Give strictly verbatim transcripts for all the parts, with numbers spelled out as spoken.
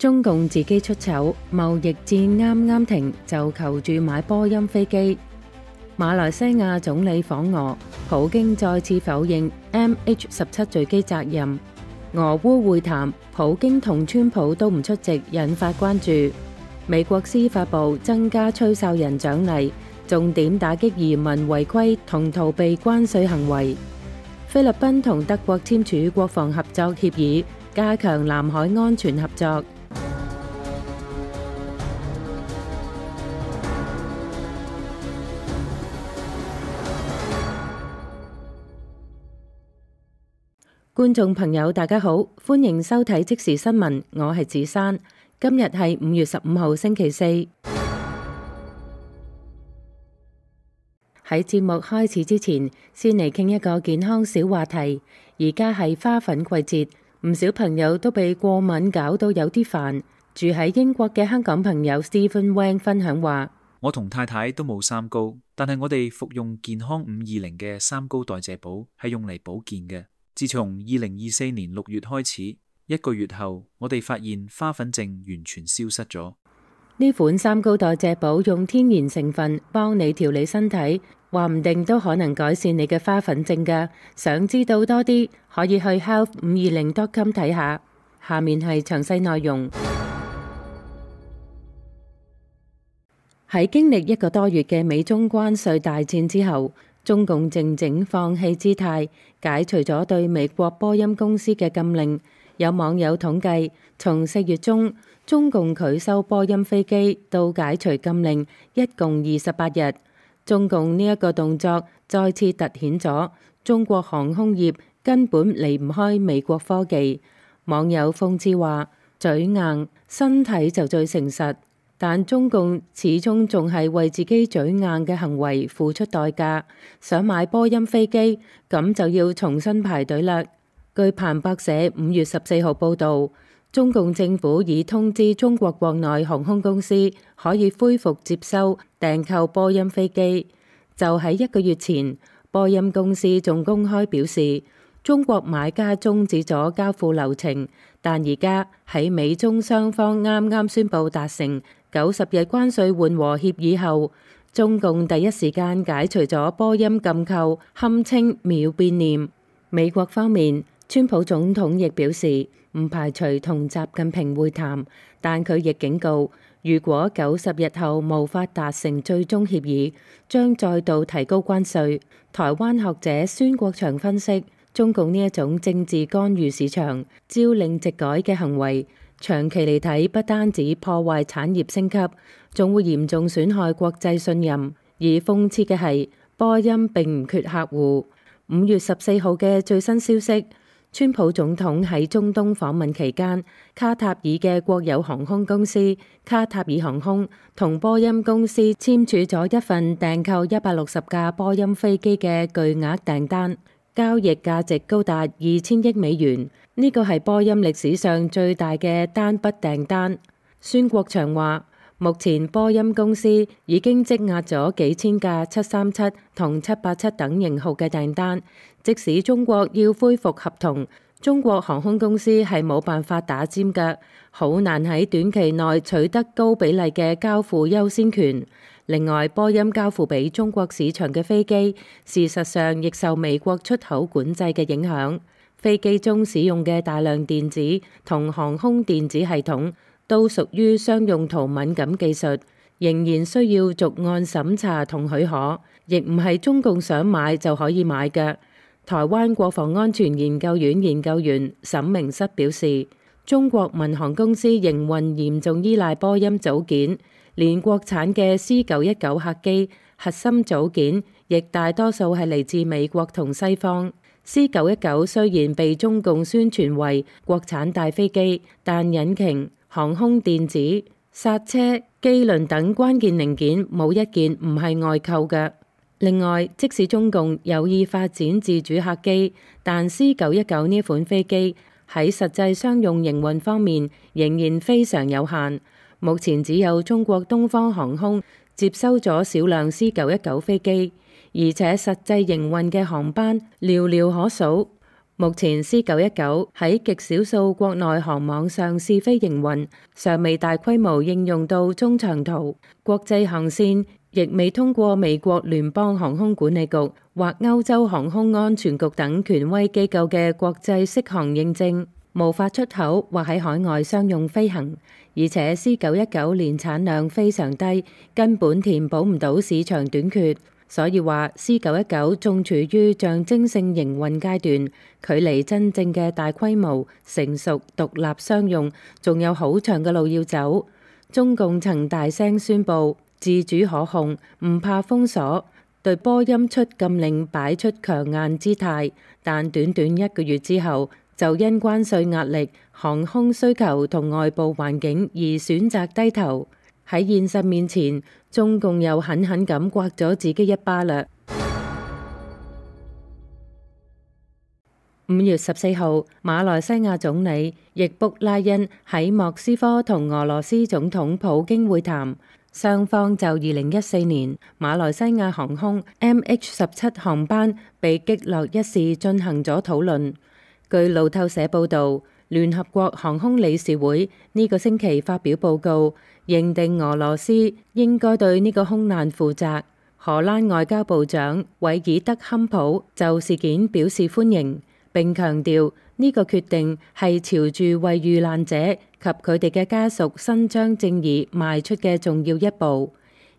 中共自己出醜，貿易戰啱啱停就求住買波音飛機。馬來西亞總理訪俄，普京再次否認 M H 十七 墜機責任。俄烏會談，普京同川普都唔出席，引發關注。美國司法部增加吹哨人獎勵，重點打擊移民違規同逃避關稅行為。菲律賓同德國簽署國防合作協議，加強南海安全合作。觀眾朋友大家好，歡迎收睇即時新聞，我係子珊。今日係五月十五號星期四。喺節目開始之前，先嚟傾一個健康小話題。而家係花粉季節，唔少朋友都被過敏搞到有啲煩。住喺英國嘅香港朋友 Stephen Wang 分享話：我同太太都冇三高，但係我哋服用健康五二零嘅三高代謝寶係用嚟保健嘅。自從二零二四年六月開始，一個月後，我哋發現花粉症完全消失咗。呢款三高代謝寶用天然成分幫你調理身體，話唔定都可能改善你嘅花粉症㗎。想知道多啲，可以去 health 五二零 dot com 睇下。下面係詳細內容。喺經歷一個多月嘅美中關稅大戰之後，中共靜靜放棄姿態，解除咗對美國波音公司嘅禁令。有網友統計，從四月中中共拒收波音飛機到解除禁令，一共二十八日。中共呢一個動作再次凸顯咗中國航空業根本離唔開美國科技。網友諷刺話：嘴硬，身體就最誠實。但中共始終仲係為自己嘴硬嘅行為付出代價。想買波音飛機，咁就要重新排隊啦。據彭博社五月十四號報導，中共政府已通知中國國內航空公司可以恢復接收訂購波音飛機。就喺一個月前，波音公司仲公開表示，中國買家終止咗交付流程，但而家喺美中雙方啱啱宣布達成九十日關稅緩和協議後，中共第一時間解除咗波音禁購，堪稱秒變臉。美國方面，川普總統亦表示唔排除同習近平會談，但佢亦警告，如果九十日後無法達成最終協議，將再度提高關稅。台灣學者孫國祥分析，中共呢一種政治干預市場、朝令夕改嘅行為，長期嚟睇，不單止破壞產業升級，仲會嚴重損害國際信任。而諷刺嘅係，波音並唔缺客戶。五月十四號嘅最新消息，川普總統喺中東訪問期間，卡塔爾嘅國有航空公司卡塔爾航空同波音公司簽署咗一份訂購一百六十架波音飛機嘅巨額訂單，交易價值高達二千億美元。呢個係波音歷史上最大嘅單筆訂單。孫國祥話：目前波音公司已經積壓咗幾千架七三七同七八七等型號嘅訂單，即使中國要恢復合同，中國航空公司係冇辦法打尖㗎，好難喺短期內取得高比例嘅交付優先權。另外，波音交付俾中國市場嘅飛機，事實上亦受美國出口管制嘅影響。飛機中使用嘅大量電子同航空電子系統都屬於商用途敏感技術，仍然需要逐案審查同許可，亦唔係中共想買就可以買嘅。台灣國防安全研究院研究員沈明室表示，中國民航公司營運嚴重依賴波音組件，連國產嘅 C 九一九客機核心組件亦大多數係嚟自美國同西方。C 九一九雖然被中共宣傳為國產大飛機，但引擎、航空電子、剎車、機輪等關鍵零件冇一件唔係外購嘅。另外，即使中共有意發展自主客機，但 C 九一九呢款飛機喺實際商用營運方面仍然非常有限。目前只有中國東方航空接收咗少量 C 九一九飛機，而且實際營運嘅航班寥寥可數。目前 C 九一九喺極少數國內航網上試飛營運，尚未大規模應用到中長途國際航線，亦未通過美國聯邦航空管理局或歐洲航空安全局等權威機構嘅國際適航認證，無法出口或喺海外商用飛行。而且 C 九一九年產量非常低，根本填補唔到市場短缺。所以話 C 九一九仲處於象徵性營運階段，距離真正嘅大規模成熟獨立商用仲有好長嘅路要走。中共曾大聲宣布自主可控，唔怕封鎖，對波音出禁令擺出強硬姿態，但短短一個月之後，就因關稅壓力、航空需求同外部環境而選擇低頭。喺現實面前，中共又狠狠咁刮咗自己一巴啦。五月十四號，馬來西亞總理易卜拉欣喺莫斯科同俄羅斯總統普京會談，雙方就二零一四年馬來西亞航空 M H 十七航班被擊落一事進行咗討論。據路透社報導，聯合國航空理事會呢個星期發表報告，認定俄羅斯應該對呢個空難負責。荷蘭外交部長韋爾德坎普就事件表示歡迎，並強調呢個決定係朝住為遇難者及佢哋嘅家屬伸張正義邁出嘅重要一步。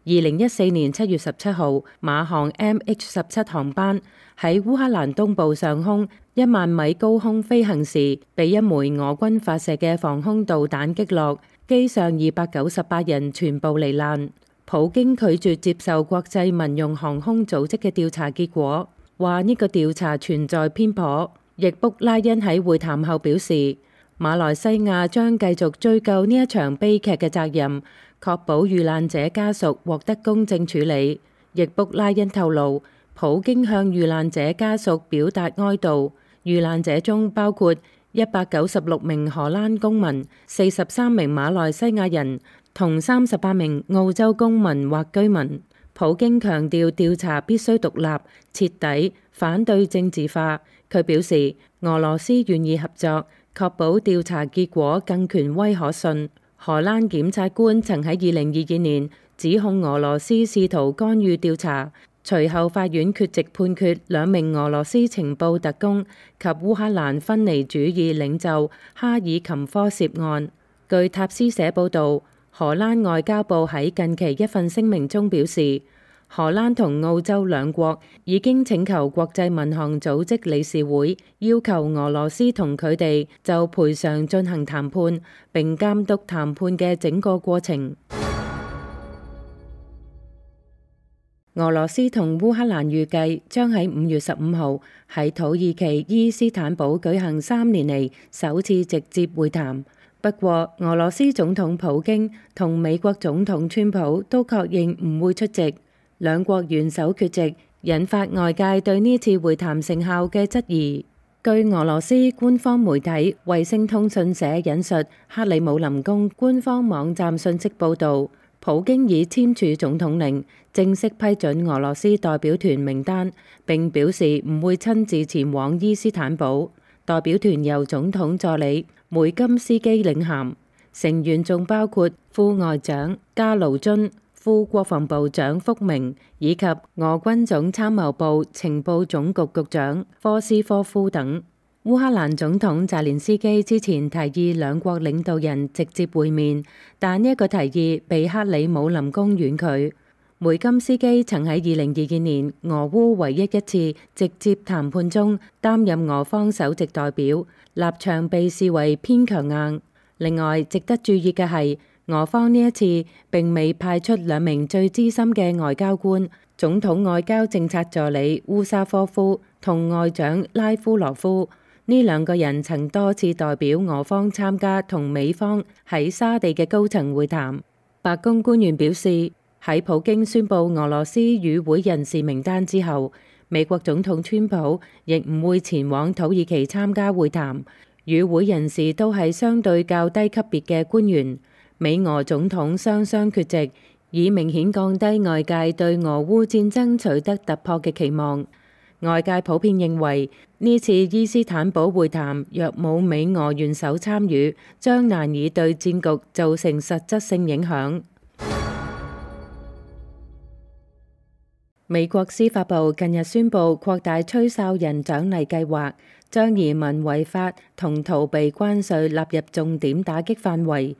二零一四年七月十七號，馬航 M H 十七航班喺烏克蘭東部上空一萬米高空飛行時，被一枚俄軍發射嘅防空導彈擊落，機上二百九十八人全部罹難。普京拒絕接受國際民用航空組織嘅調查結果，話呢個調查存在偏頗。易卜拉欣喺會談後表示，馬來西亞將繼續追究呢一場悲劇嘅責任，確保遇難者家屬獲得公正處理。易卜拉欣透露，普京向遇難者家屬表達哀悼，遇難者中包括一百九十六名荷蘭公民、四十三名馬來西亞人同三十八名澳洲公民或居民。普京強調調查必須獨立、徹底，反對政治化。佢表示，俄羅斯願意合作，確保調查結果更權威可信。荷蘭檢察官曾喺二零二二年指控俄羅斯試圖干預調查，隨後法院缺席判決兩名俄羅斯情報特工及烏克蘭分離主義領袖哈爾琴科涉案。據塔斯社報導，荷蘭外交部喺近期一份聲明中表示，荷蘭同澳洲兩國已經請求國際民航組織理事會要求俄羅斯同佢哋就賠償進行談判，並監督談判嘅整個過程。俄羅斯同烏克蘭預計將喺五月十五號喺土耳其伊斯坦堡舉行三年嚟首次直接會談。不過，俄羅斯總統普京同美國總統川普都確認唔會出席。兩國元首缺席，引發外界對呢次會談成效嘅質疑。據俄羅斯官方媒體衛星通訊社引述克里姆林宮官方網站信息報導，普京已簽署總統令，正式批准俄羅斯代表團名單，並表示唔會親自前往伊斯坦堡。代表團由總統助理梅金斯基領銜，成員仲包括副外長加盧津、副國防部長福明以及俄軍總參謀部情報總局局長科斯科夫等。烏克蘭總統澤連斯基之前提議兩國領導人直接會面，但呢一個提議被克里姆林宮婉拒。梅金斯基曾喺二零二二年俄烏唯一一次直接談判中擔任俄方首席代表，立場被視為偏強硬。另外，值得注意嘅係，俄方呢一次並未派出兩名最資深嘅外交官，總統外交政策助理烏沙科夫同外長拉夫羅夫。呢兩個人曾多次代表俄方參加同美方喺沙地嘅高層會談。白宮官員表示，喺普京宣布俄羅斯與會人士名單之後，美國總統川普亦唔會前往土耳其參加會談。與會人士都係相對較低級別嘅官員。美俄總統雙雙缺席，以明顯降低外界對俄烏戰爭取得突破嘅期望。外界普遍認為呢次伊斯坦堡會談若冇美俄元首參與，將難以對戰局造成實質性影響。美國司法部近日宣布擴大吹哨人獎勵計劃，將移民違法同逃避關稅納入重點打擊範圍。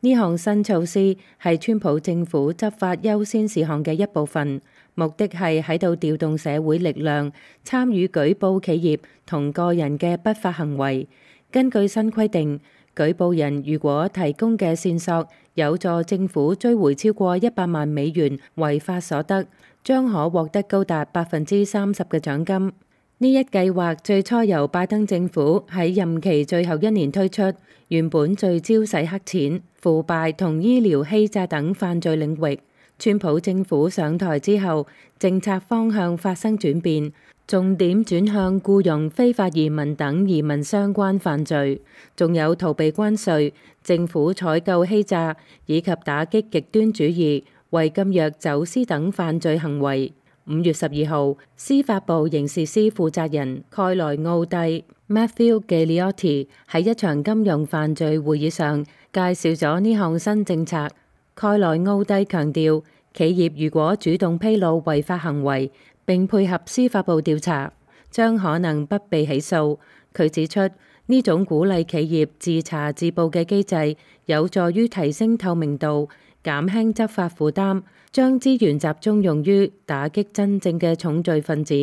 呢項新措施係川普政府執法優先事項嘅一部分，目的係喺度調動社會力量，參與舉報企業同個人嘅不法行為。根據新規定，舉報人如果提供嘅線索有助政府追回超過一百萬美元違法所得，將可獲得高達百分之三十嘅獎金。呢一計劃最初由拜登政府喺任期最後一年推出，原本聚焦洗黑錢、腐敗同醫療欺詐等犯罪領域。川普政府上台之後，政策方向發生轉變，重點轉向僱傭非法移民等移民相關犯罪，仲有逃避關稅、政府採購欺詐以及打擊極端主義、違禁藥走私等犯罪行為。五月十二號，司法部刑事司負責人蓋萊奧蒂 Matthew Gagliotti 喺一場金融犯罪會議上介紹咗呢項新政策。蓋萊奧蒂強調，企業如果主動披露違法行為並配合司法部調查，將可能不被起訴。佢指出，呢種鼓勵企業自查自報嘅機制有助於提升透明度，減輕執法負擔，將資源集中用於打擊真正嘅重罪分子。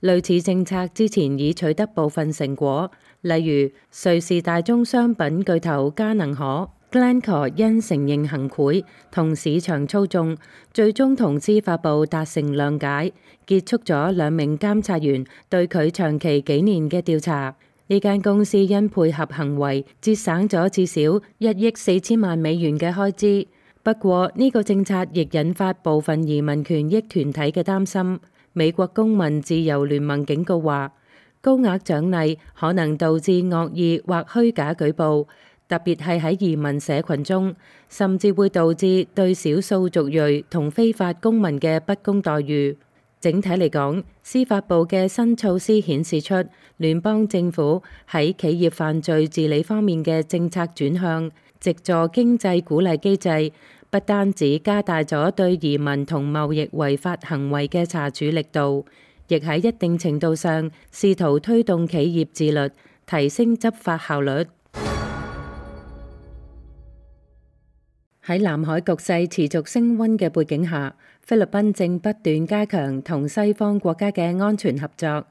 類似政策之前已取得部分成果，例如瑞士大宗商品巨頭嘉能可 Glencore 因承認行賄同市場操縱，最終同司法部達成諒解，結束咗兩名監察員對佢長期幾年嘅調查。呢間公司因配合行為節省咗至少一億四千萬美元嘅開支。不過呢個政策亦引發部分移民權益團體嘅擔心。美國公民自由聯盟警告話，高額獎勵可能導致惡意或虛假舉報，特別係喺移民社群中，甚至會導致對少數族裔同非法公民嘅不公待遇。整體嚟講，司法部嘅新措施顯示出聯邦政府喺企業犯罪治理方面嘅政策轉向，藉助經濟鼓勵機制，不單止加大咗對移民同貿易違法行為嘅查處力度，亦喺一定程度上試圖推動企業自律，提升執法效率。喺南海局勢持續升溫嘅背景下，菲律賓正不斷加強同西方國家嘅安全合作。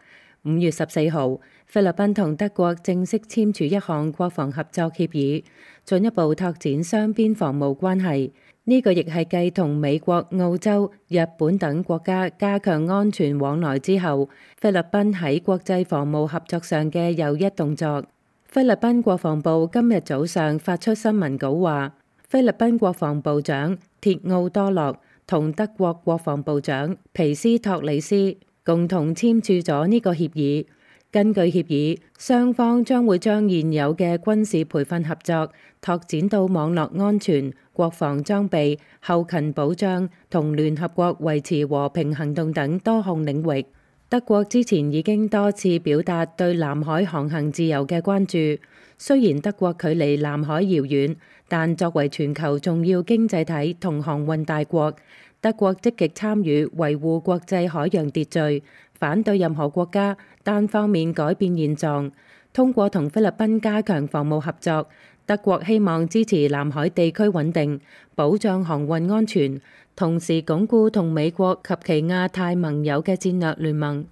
五月十四號，菲律賓同德國正式簽署一項國防合作協議，進一步拓展雙邊防務關係。呢個亦係繼同美國、澳洲、日本等國家加強安全往來之後，菲律賓喺國際防務合作上嘅又一動作。菲律賓國防部今日早上發出新聞稿話，菲律賓國防部長鐵奧多洛同德國國防部長皮斯托里斯共同簽署咗呢個協議。根據協議，雙方將會將現有嘅軍事培訓合作拓展到網絡安全、國防裝備、後勤保障同聯合國維持和平行動等多項領域。德國之前已經多次表達對南海航行自由嘅關注。雖然德國距離南海遙遠，但作為全球重要經濟體同航運大國，德國積極參與維護國際海洋秩序，反對任何國家單方面改變現狀。通過同菲律賓加強防務合作，德國希望支持南海地區穩定，保障航運安全，同時鞏固同美國及其亞太盟友嘅戰略聯盟。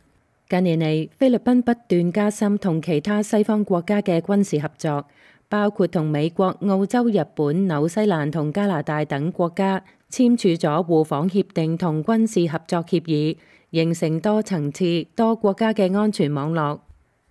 近年嚟，菲律賓不斷加深同其他西方國家嘅軍事合作，包括同美國、澳洲、日本、紐西蘭同加拿大等國家簽署咗互訪協定同軍事合作協議，形成多層次、多國家嘅安全網絡。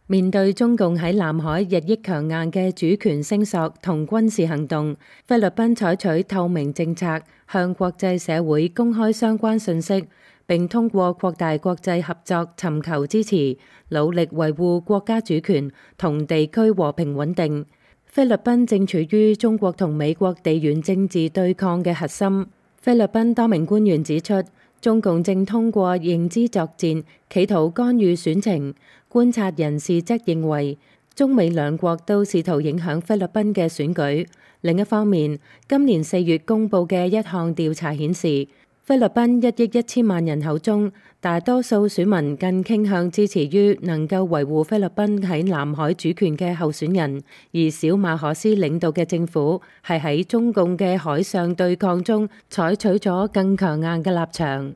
面對中共喺南海日益強硬嘅主權聲索同軍事行動，菲律賓採取透明政策，向國際社會公開相關信息，並通過擴大國際合作尋求支持，努力維護國家主權同地區和平穩定。菲律賓正處於中國同美國地緣政治對抗嘅核心。菲律賓多名官員指出，中共正通過認知作戰，企圖干預選情。觀察人士則認為，中美兩國都試圖影響菲律賓嘅選舉。另一方面，今年四月公佈嘅一項調查顯示，菲律賓一億一千萬人口中，大多數選民更傾向支持於能夠維護菲律賓喺南海主權嘅候選人，而小馬可斯領導嘅政府係喺中共嘅海上對抗中採取咗更強硬嘅立場。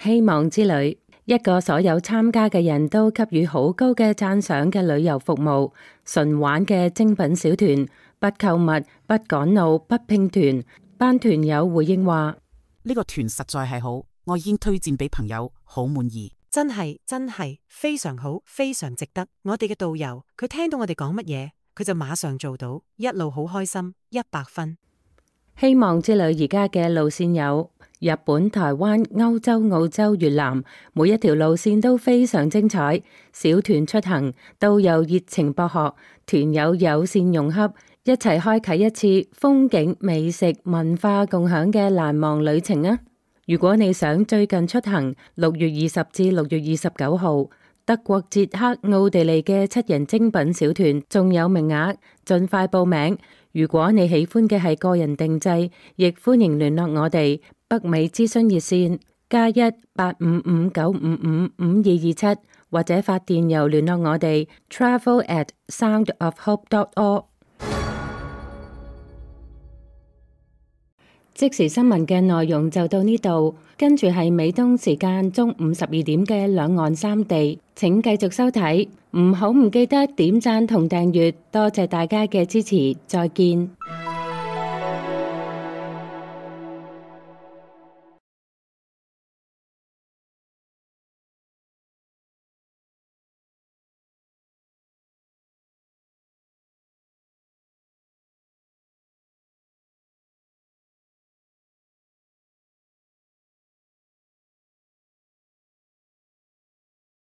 希望之旅，一個所有參加嘅人都給予好高嘅讚賞嘅旅遊服務，純玩嘅精品小團。不購物、不趕路、不拼團。班團友回應話：呢個團實在係好，我已經推薦俾朋友，好滿意。真係真係非常好，非常值得。我哋嘅導遊，佢聽到我哋講乜嘢，佢就馬上做到，一路好開心，一百分。希望之旅而家嘅路線有日本、台灣、歐洲、澳洲、越南，每一條路線都非常精彩。小團出行，導遊熱情博學，團友友善融洽，一齊開啟一次風景、美食、文化共享嘅難忘旅程啊！如果你想最近出行，六月二十至六月二十九號，德國、捷克、奧地利嘅七人精品小團仲有名額，盡快報名。如果你喜歡嘅係個人定製，亦歡迎聯絡我哋北美諮詢熱線加一八五五九五五五二二七，或者發電郵聯絡我哋 travel at soundofhope dot org。即時新聞嘅內容就到呢度，跟住係美東時間中午十二點嘅兩岸三地，請繼續收睇，唔好唔記得點讚同訂閱，多謝大家嘅支持，再見。